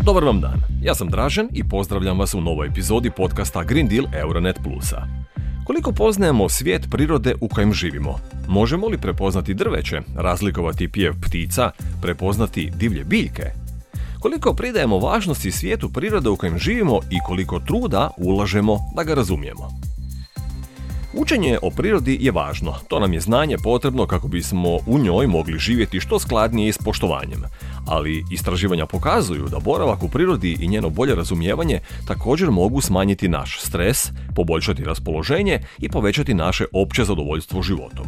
Dobar vam dan, ja sam Dražen i pozdravljam vas u novoj epizodi podcasta Green Deal Euronet Plusa. Koliko poznajemo svijet prirode u kojem živimo? Možemo li prepoznati drveće, razlikovati pjev ptica, prepoznati divlje biljke? Koliko pridajemo važnosti svijetu prirode u kojem živimo i koliko truda ulažemo da ga razumijemo? Učenje o prirodi je važno, to nam je znanje potrebno kako bismo u njoj mogli živjeti što skladnije i s poštovanjem. Ali istraživanja pokazuju da boravak u prirodi i njeno bolje razumijevanje također mogu smanjiti naš stres, poboljšati raspoloženje i povećati naše opće zadovoljstvo životom.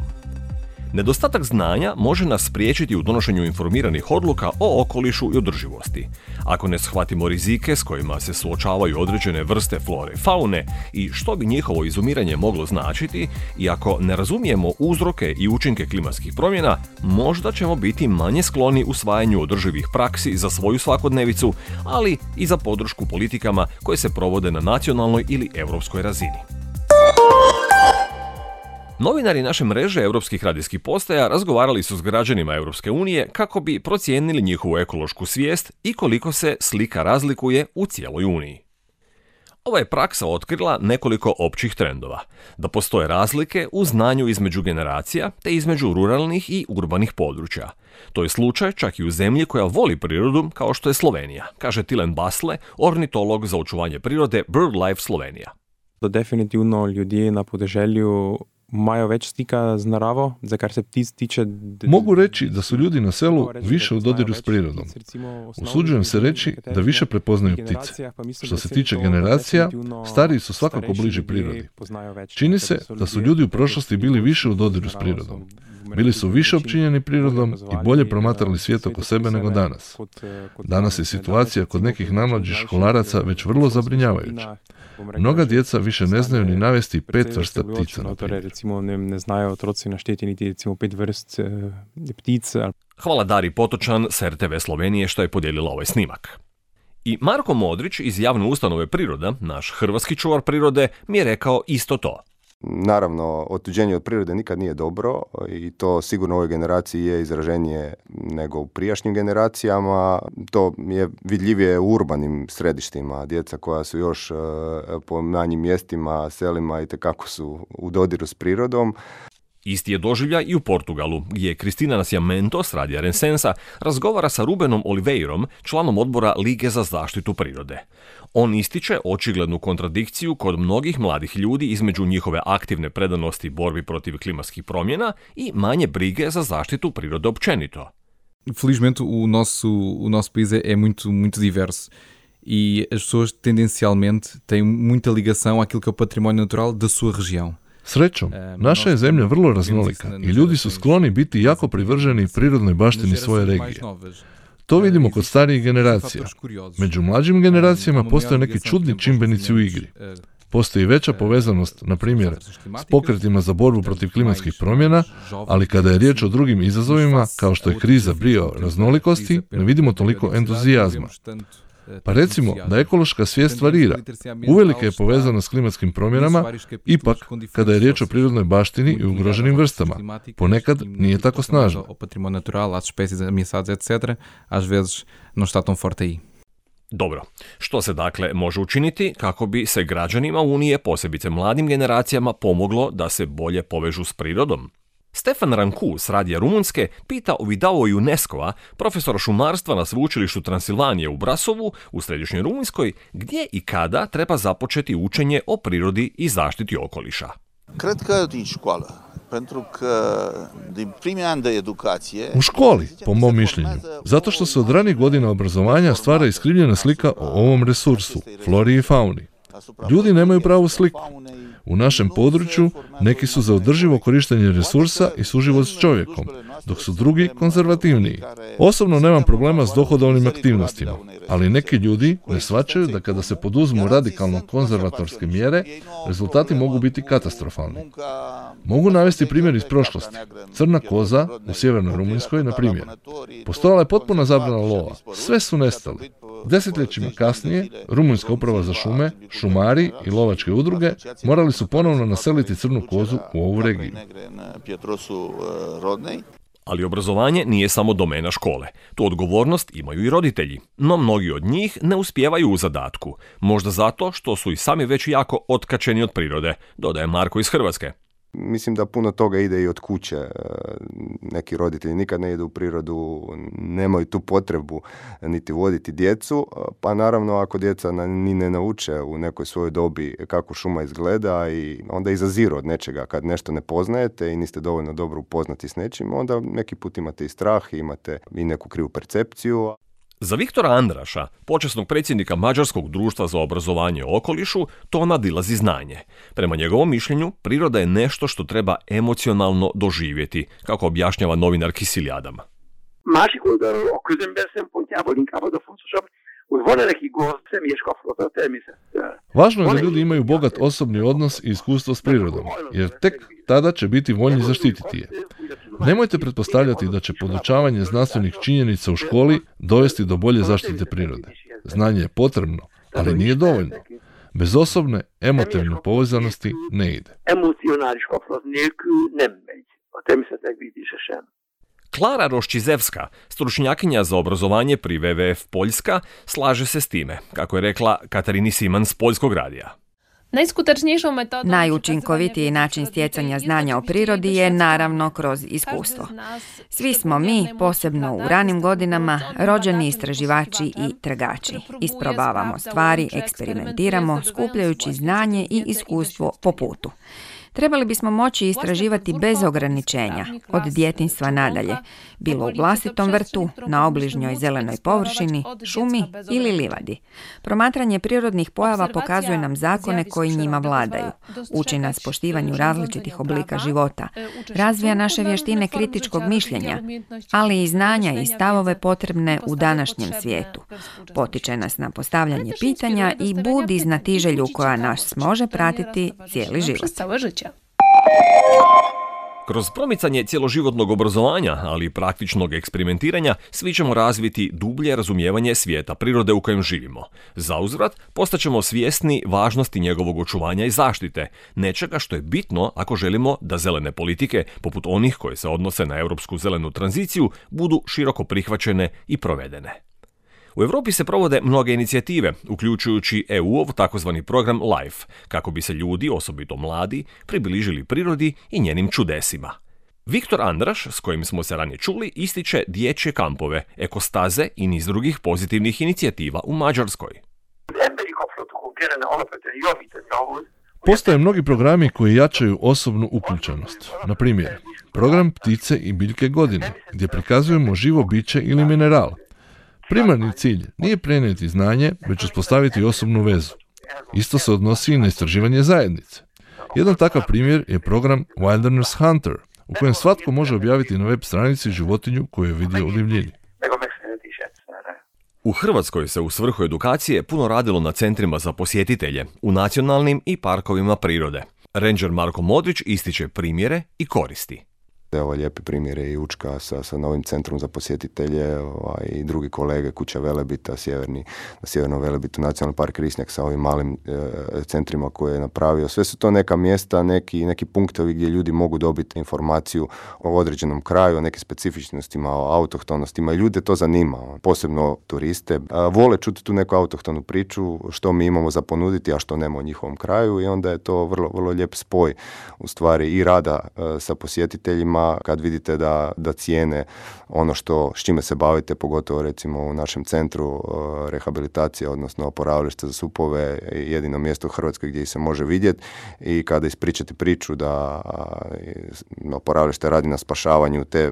Nedostatak znanja može nas spriječiti u donošenju informiranih odluka o okolišu i održivosti. Ako ne shvatimo rizike s kojima se suočavaju određene vrste flore i faune i što bi njihovo izumiranje moglo značiti, i ako ne razumijemo uzroke i učinke klimatskih promjena, možda ćemo biti manje skloni usvajanju održivih praksi za svoju svakodnevicu, ali i za podršku politikama koje se provode na nacionalnoj ili europskoj razini. Novinari naše mreže europskih radijskih postaja razgovarali su s građanima Europske unije kako bi procijenili njihovu ekološku svijest i koliko se slika razlikuje u cijeloj Uniji. Ova je praksa otkrila nekoliko općih trendova, da postoje razlike u znanju između generacija te između ruralnih i urbanih područja. To je slučaj čak i u zemlji koja voli prirodu kao što je Slovenija, kaže Tilen Basle, ornitolog za očuvanje prirode BirdLife Slovenija. Definitivno ljudje na podeželju imajo več stika z naravo, za kar se ptic tiče. Mogu reći da su ljudi na selu više u dodiru s prirodom. Usuđujem se reći da više prepoznaju ptice. Što se tiče generacija, stariji su svakako bliži prirodi. Čini se da su ljudi u prošlosti bili više u dodiru s prirodom. Bili su više opčinjeni prirodom i bolje promatrali svijet oko sebe nego danas. Danas je situacija kod nekih najmlađih školaraca već vrlo zabrinjavajuća. Mnoga djeca više ne znaju ni navesti 5 vrsta ptica. Recimo ne znaju otroci našteti niti recimo 5 vrst ptica. Hvala Dari Potočan s RTV Slovenije što je podijelila ovaj snimak. I Marko Modrić iz javne ustanove Priroda, naš hrvatski čuvar prirode, mi je rekao isto to. Naravno, otuđenje od prirode nikad nije dobro i to sigurno u ovoj generaciji je izraženije nego u prijašnjim generacijama. To je vidljivije u urbanim središtima. Djeca koja su još po manjim mjestima, selima itekako su u dodiru s prirodom. Isti je doživljaj i u Portugalu, gdje Cristina Nascimento s radija Rensensa razgovara sa Rubenom Oliveirom, članom odbora Lige za zaštitu prirode. On ističe očiglednu kontradikciju kod mnogih mladih ljudi između njihove aktivne predanosti borbi protiv klimatskih promjena i manje brige za zaštitu prirode općenito. Felizmente o nosso país é muito diverso e as pessoas tendencialmente têm muita ligação àquilo que é o património natural da sua região. Srećom, naša je zemlja vrlo raznolika i ljudi su skloni biti jako privrženi prirodnoj baštini svoje regije. To vidimo kod starijih generacija. Među mlađim generacijama postoje neki čudni čimbenici u igri. Postoji veća povezanost, na primjer, s pokretima za borbu protiv klimatskih promjena, ali kada je riječ o drugim izazovima, kao što je kriza bioraznolikosti, ne vidimo toliko entuzijazma. Pa recimo da ekološka svijest varira. Uvelike je povezana s klimatskim promjenama, ipak kada je riječ o prirodnoj baštini i ugroženim vrstama, ponekad nije tako snažna. Dobro, što se dakle može učiniti kako bi se građanima Unije, posebice mladim generacijama, pomoglo da se bolje povežu s prirodom? Stefan Ranku s radija Rumunjske pita Ovidao UNESCO-a, profesora šumarstva na sveučilištu Transilvanije u Brasovu u središnjoj Rumunjskoj, gdje i kada treba započeti učenje o prirodi i zaštiti okoliša. U školi, po mom mišljenju, zato što se od ranih godina obrazovanja stvara iskrivljena slika o ovom resursu, flori i fauni. Ljudi nemaju pravu sliku. U našem području neki su za održivo korištenje resursa i suživot s čovjekom, dok su drugi konzervativniji. Osobno nemam problema s dohodovnim aktivnostima, ali neki ljudi ne shvaćaju da kada se poduzmu radikalno konzervatorske mjere, rezultati mogu biti katastrofalni. Mogu navesti primjer iz prošlosti. Crna koza u sjevernoj Rumunjskoj, na primjer. Postojala je potpuna zabrana lova. Sve su nestali. Desetljećima kasnije, Rumunjska uprava za šume, šumari i lovačke udruge morali su ponovno naseliti crnu kozu u ovu regiju. Ali obrazovanje nije samo domena škole. Tu odgovornost imaju i roditelji, no mnogi od njih ne uspijevaju u zadatku. Možda zato što su i sami već jako otkačeni od prirode, dodaje Marko iz Hrvatske. Mislim da puno toga ide i od kuće. Neki roditelji nikad ne idu u prirodu, nemaju tu potrebu niti voditi djecu, pa naravno ako djeca ni ne nauče u nekoj svojoj dobi kako šuma izgleda i onda izaziru od nečega. Kad nešto ne poznajete i niste dovoljno dobro upoznati s nečim, onda neki put imate i strah, imate i neku krivu percepciju. Za Viktora Andraša, počasnog predsjednika Mađarskog društva za obrazovanje o okolišu, to nadilazi znanje. Prema njegovom mišljenju, priroda je nešto što treba emocionalno doživjeti, kako objašnjava novinar Kiszili Ádám. Másik oldalról a közember szempontjából inkább az a fontosabb, hogy van-e nekik személyes kapcsolata a természettel. Važno je da ljudi imaju bogat osobni odnos i iskustvo s prirodom, jer tek tada će biti voljni zaštititi je. Nemojte pretpostavljati da će podučavanje znanstvenih činjenica u školi dovesti do bolje zaštite prirode. Znanje je potrebno, ali nije dovoljno. Bez osobne, emotivne povezanosti ne ide. Emocionális kapcsolat nélkül nem megy a természetmegvédése sem. Klara Roščizevska, stručnjakinja za obrazovanje pri WWF Poljska, slaže se s time, kako je rekla Katarini Siman s Poljskog radija. Najučinkovitiji način stjecanja znanja o prirodi je naravno kroz iskustvo. Svi smo mi, posebno u ranim godinama, rođeni istraživači i tragači. Isprobavamo stvari, eksperimentiramo, skupljajući znanje i iskustvo po putu. Trebali bismo moći istraživati bez ograničenja, od djetinjstva nadalje, bilo u vlastitom vrtu, na obližnjoj zelenoj površini, šumi ili livadi. Promatranje prirodnih pojava pokazuje nam zakone koji njima vladaju, uči nas poštivanju različitih oblika života, razvija naše vještine kritičkog mišljenja, ali i znanja i stavove potrebne u današnjem svijetu. Potiče nas na postavljanje pitanja i budi znatiželju koja nas može pratiti cijeli život. Kroz promicanje cjeloživotnog obrazovanja, ali i praktičnog eksperimentiranja, svi ćemo razviti dublje razumijevanje svijeta prirode u kojem živimo. Zauzvrat, postaćemo svjesni važnosti njegovog očuvanja i zaštite, nečega što je bitno ako želimo da zelene politike, poput onih koje se odnose na europsku zelenu tranziciju, budu široko prihvaćene i provedene. U Europi se provode mnoge inicijative, uključujući EU-ov takozvani program LIFE, kako bi se ljudi, osobito mladi, približili prirodi i njenim čudesima. Viktor Andraš, s kojim smo se ranije čuli, ističe dječje kampove, ekostaze i niz drugih pozitivnih inicijativa u Mađarskoj. Postoje mnogi programi koji jačaju osobnu uključenost. Na primjer, program Ptice i biljke godine, gdje prikazujemo živo biće ili mineral. Primarni cilj nije prenijeti znanje, već uspostaviti osobnu vezu. Isto se odnosi i na istraživanje zajednice. Jedan takav primjer je program Wilderness Hunter, u kojem svatko može objaviti na web stranici životinju koju je vidio u divljini. U Hrvatskoj se u svrhu edukacije puno radilo na centrima za posjetitelje, u nacionalnim i parkovima prirode. Ranger Marko Modrić ističe primjere i koristi. Evo lijepi primjere i Učka sa novim centrom za posjetitelje i drugi kolege, Kuća Velebita, na Sjevernom Velebitu, Nacionalni park Risnjak sa ovim malim centrima koje je napravio. Sve su to neka mjesta, neki punktovi gdje ljudi mogu dobiti informaciju o određenom kraju, o nekim specifičnostima, o autohtonostima i ljude to zanima, posebno turiste. Vole čuti tu neku autohtonu priču, što mi imamo za ponuditi, a što nema u njihovom kraju i onda je to vrlo, vrlo lijep spoj u stvari i rada sa posjetiteljima kad vidite da cijene ono s čime se bavite, pogotovo recimo u našem centru rehabilitacije, odnosno oporavilište za supove, jedino mjesto u Hrvatskoj gdje se može vidjeti i kada ispričate priču da oporavilište radi na spašavanju te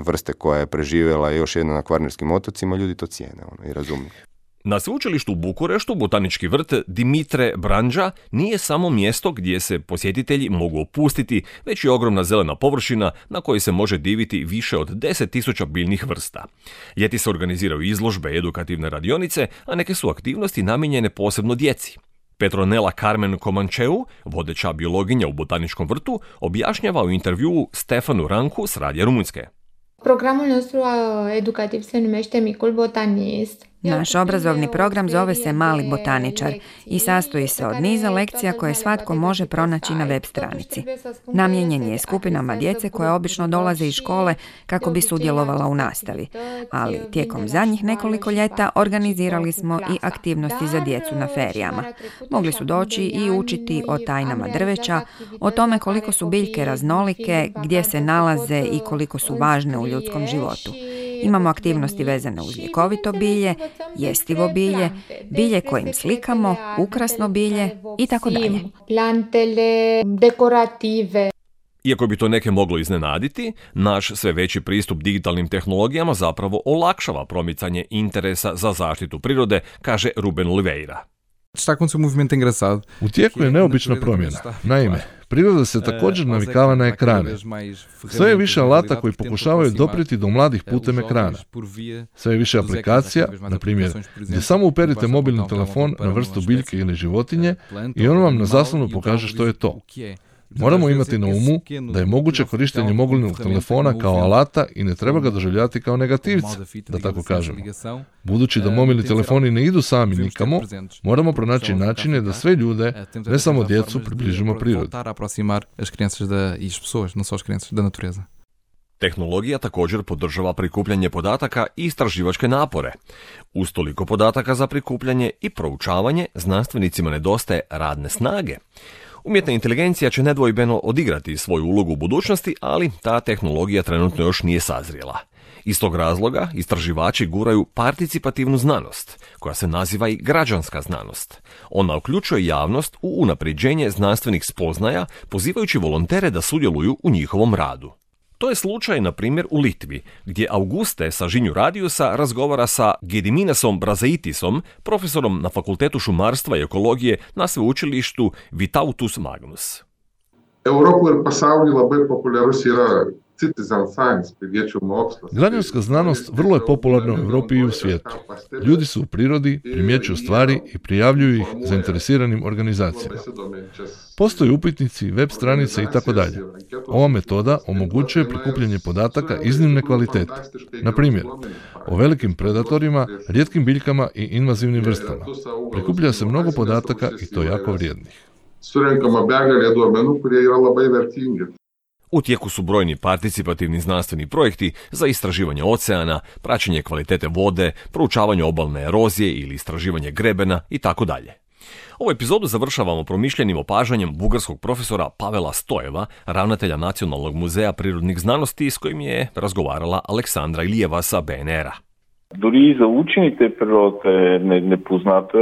vrste koja je preživjela još jedno na Kvarnerskim otocima, ljudi to cijene i razumiju. Na sveučilištu u Bukureštu botanički vrt Dimitre Brandža nije samo mjesto gdje se posjetitelji mogu opustiti, već i ogromna zelena površina na kojoj se može diviti više od 10.000 biljnih vrsta. Ljeti se organiziraju izložbe, edukativne radionice, a neke su aktivnosti namijenjene posebno djeci. Petronela Carmen Comancheu, vodeća biologinja u botaničkom vrtu, objašnjava u intervjuu Stefanu Ranku s Radija Rumunjske. Programul nostru educativ se numește Micul Botanist. Naš obrazovni program zove se Mali botaničar i sastoji se od niza lekcija koje svatko može pronaći na web stranici. Namijenjen je skupinama djece koje obično dolaze iz škole kako bi sudjelovala u nastavi, ali tijekom zadnjih nekoliko ljeta organizirali smo i aktivnosti za djecu na ferijama. Mogli su doći i učiti o tajnama drveća, o tome koliko su biljke raznolike, gdje se nalaze i koliko su važne u ljudskom životu. Imamo aktivnosti vezane uz ljekovito bilje, jestivo bilje, bilje kojim slikamo, ukrasno bilje i tako dalje. Iako bi to neke moglo iznenaditi, naš sve veći pristup digitalnim tehnologijama zapravo olakšava promicanje interesa za zaštitu prirode, kaže Ruben Oliveira. U tijeku je neobična promjena. Naime, priroda se također navikava na ekrane. Sve je više alata koji pokušavaju doprijeti do mladih putem ekrana. Sve je više aplikacija, na primjer, gdje samo uperite mobilni telefon na vrstu biljke ili životinje i on vam na zaslonu pokaže što je to. Moramo imati na umu da je moguće korištenje mobilnog telefona kao alata i ne treba ga doživljavati kao negativca, da tako kažemo. Budući da mobilni telefoni ne idu sami nikamo, moramo pronaći načine da sve ljude, ne samo djecu, približimo prirodi. Tehnologija također podržava prikupljanje podataka i istraživačke napore. Uz toliko podataka za prikupljanje i proučavanje znanstvenicima nedostaje radne snage. Umjetna inteligencija će nedvojbeno odigrati svoju ulogu u budućnosti, ali ta tehnologija trenutno još nije sazrijela. Iz tog razloga istraživači guraju participativnu znanost, koja se naziva i građanska znanost. Ona uključuje javnost u unapređenje znanstvenih spoznaja, pozivajući volontere da sudjeluju u njihovom radu. To je slučaj, na primjer, u Litvi, gdje Auguste sa Žinju Radiusa razgovara sa Gediminasom Brazaitisom, profesorom na Fakultetu šumarstva i ekologije na sveučilištu Vytautas Magnus. Građanska znanost vrlo je popularna u Europi i u svijetu. Ljudi su u prirodi, primjećuju stvari i prijavljuju ih zainteresiranim organizacijama. Postoje upitnici, web stranice i tako dalje. Ova metoda omogućuje prikupljanje podataka iznimne kvalitete. Na primjer, o velikim predatorima, rijetkim biljkama i invazivnim vrstama. Prikuplja se mnogo podataka i to jako vrijednih. U tijeku su brojni participativni znanstveni projekti za istraživanje oceana, praćenje kvalitete vode, proučavanje obalne erozije ili istraživanje grebena i tako dalje. Ovu epizodu završavamo promišljenim opažanjem bugarskog profesora Pavela Stojeva, ravnatelja Nacionalnog muzeja prirodnih znanosti, s kojim je razgovarala Aleksandra Ilijeva sa BNR-a. Dori za učenike prirode nepoznate,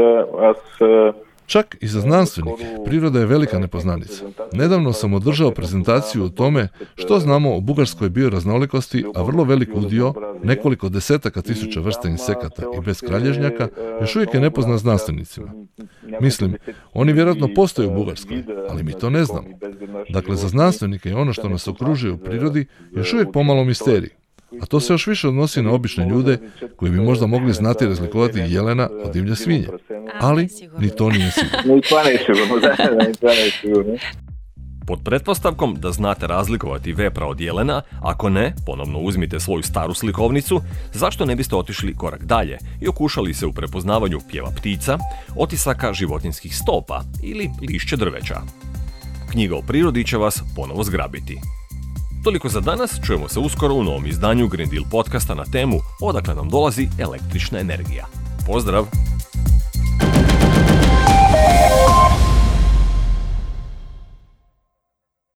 Čak i za znanstvenike, priroda je velika nepoznanica. Nedavno sam održao prezentaciju o tome što znamo o bugarskoj bioraznolikosti, a vrlo velik udio, nekoliko desetaka tisuća vrsta insekata i beskralježnjaka, još uvijek je nepoznat znanstvenicima. Mislim, oni vjerojatno postoje u Bugarskoj, ali mi to ne znamo. Dakle, za znanstvenike je ono što nas okružuje u prirodi još uvijek pomalo misterij. A to se još više odnosi na obične ljude koji bi možda mogli znati razlikovati jelena od divlje svinje. Ali ni to nije sigurno. Pod pretpostavkom da znate razlikovati vepra od jelena, ako ne, ponovno uzmite svoju staru slikovnicu, zašto ne biste otišli korak dalje i okušali se u prepoznavanju pjeva ptica, otisaka životinjskih stopa ili lišće drveća. Knjiga o prirodi će vas ponovo zgrabiti. Toliko za danas, čujemo se uskoro u novom izdanju Green Deal podcasta na temu Odakle nam dolazi električna energija. Pozdrav!